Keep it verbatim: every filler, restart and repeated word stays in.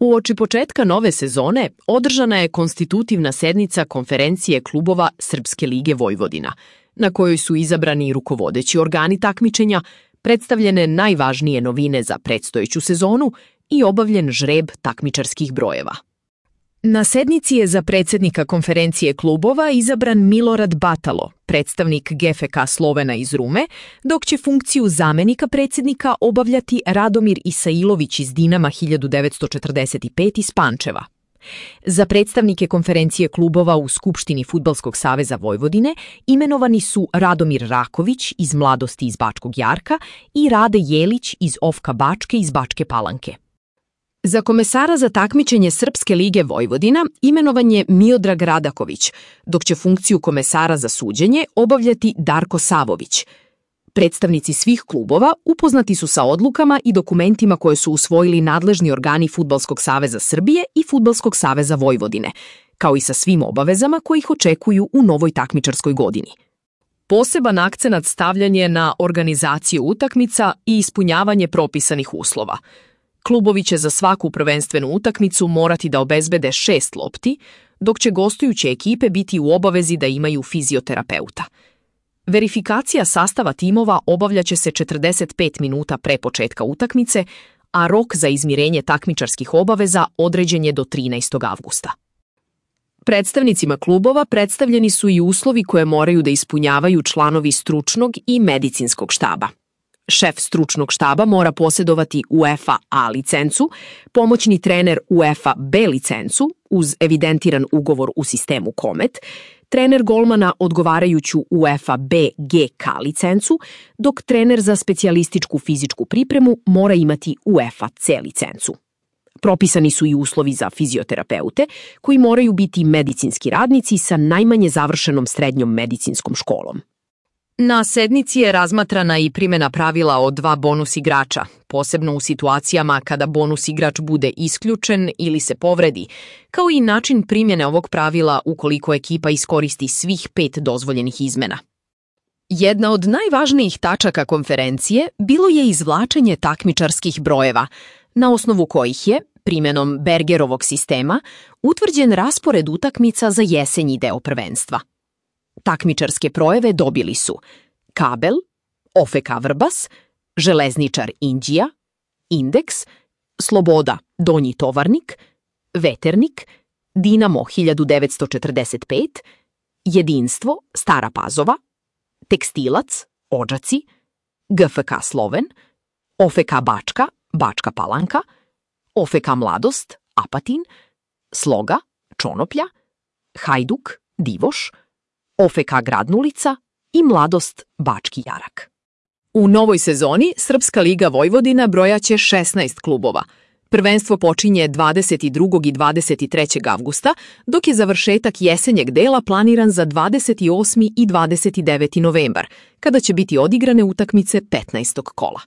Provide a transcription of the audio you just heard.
Uoči početka nove sezone održana je konstitutivna sednica konferencije klubova Srpske lige Vojvodina, na kojoj su izabrani rukovodeći organi takmičenja, predstavljene najvažnije novine za predstojeću sezonu i obavljen žreb takmičarskih brojeva. Na sednici je za predsjednika konferencije klubova izabran Milorad Batalo, predstavnik G F K Slovena iz Rume, dok će funkciju zamenika predsjednika obavljati Radomir Isailović iz Dinama hiljadu devetsto četrdeset pet iz Pančeva. Za predstavnike konferencije klubova u Skupštini Fudbalskog saveza Vojvodine imenovani su Radomir Raković iz Mladosti iz Bačkog Jarka i Rade Jelić iz O F K Bačke iz Bačke Palanke. Za komesara za takmičenje Srpske lige Vojvodina imenovan je Miodrag Radaković, dok će funkciju komesara za suđenje obavljati Darko Savović. Predstavnici svih klubova upoznati su sa odlukama i dokumentima koje su usvojili nadležni organi Fudbalskog saveza Srbije i Fudbalskog saveza Vojvodine, kao i sa svim obavezama koji ih očekuju u novoj takmičarskoj godini. Poseban akcenat stavljan je na organizaciju utakmica i ispunjavanje propisanih uslova. Klubovi će za svaku prvenstvenu utakmicu morati da obezbede šest lopti, dok će gostujuće ekipe biti u obavezi da imaju fizioterapeuta. Verifikacija sastava timova obavljaće se četrdeset pet minuta pre početka utakmice, a rok za izmirenje takmičarskih obaveza određen je do trinaestog avgusta. Predstavnicima klubova predstavljeni su i uslovi koje moraju da ispunjavaju članovi stručnog i medicinskog štaba. Šef stručnog štaba mora posjedovati UEFA A licencu, pomoćni trener UEFA B licencu uz evidentiran ugovor u sistemu Komet, trener golmana odgovarajuću UEFA B G K licencu, dok trener za specijalističku fizičku pripremu mora imati UEFA C licencu. Propisani su i uslovi za fizioterapeute, koji moraju biti medicinski radnici sa najmanje završenom srednjom medicinskom školom. Na sednici je razmatrana i primjena pravila o dva bonus igrača, posebno u situacijama kada bonus igrač bude isključen ili se povredi, kao i način primjene ovog pravila ukoliko ekipa iskoristi svih pet dozvoljenih izmena. Jedna od najvažnijih tačaka konferencije bilo je izvlačenje takmičarskih brojeva, na osnovu kojih je, primjenom Bergerovog sistema, utvrđen raspored utakmica za jesenji deo prvenstva. Takmičarske brojeve dobili su Kabel, O F K Vrbas, Železničar Inđija, Indeks, Sloboda Donji Tovarnik, Veternik, Dinamo hiljadu devetsto četrdeset pet, Jedinstvo Stara Pazova, Tekstilac Odžaci, G F K Sloven, O F K Bačka Bačka Palanka, O F K Mladost Apatin, Sloga Čonoplja, Hajduk Divoš, O F K Gradnulica i Mladost Bački Jarak. U novoj sezoni Srpska liga Vojvodina brojaće šesnaest klubova. Prvenstvo počinje dvadeset drugog i dvadeset trećeg avgusta, dok je završetak jesenjeg dela planiran za dvadeset osmi i dvadeset deveti novembar, kada će biti odigrane utakmice petnaestog kola.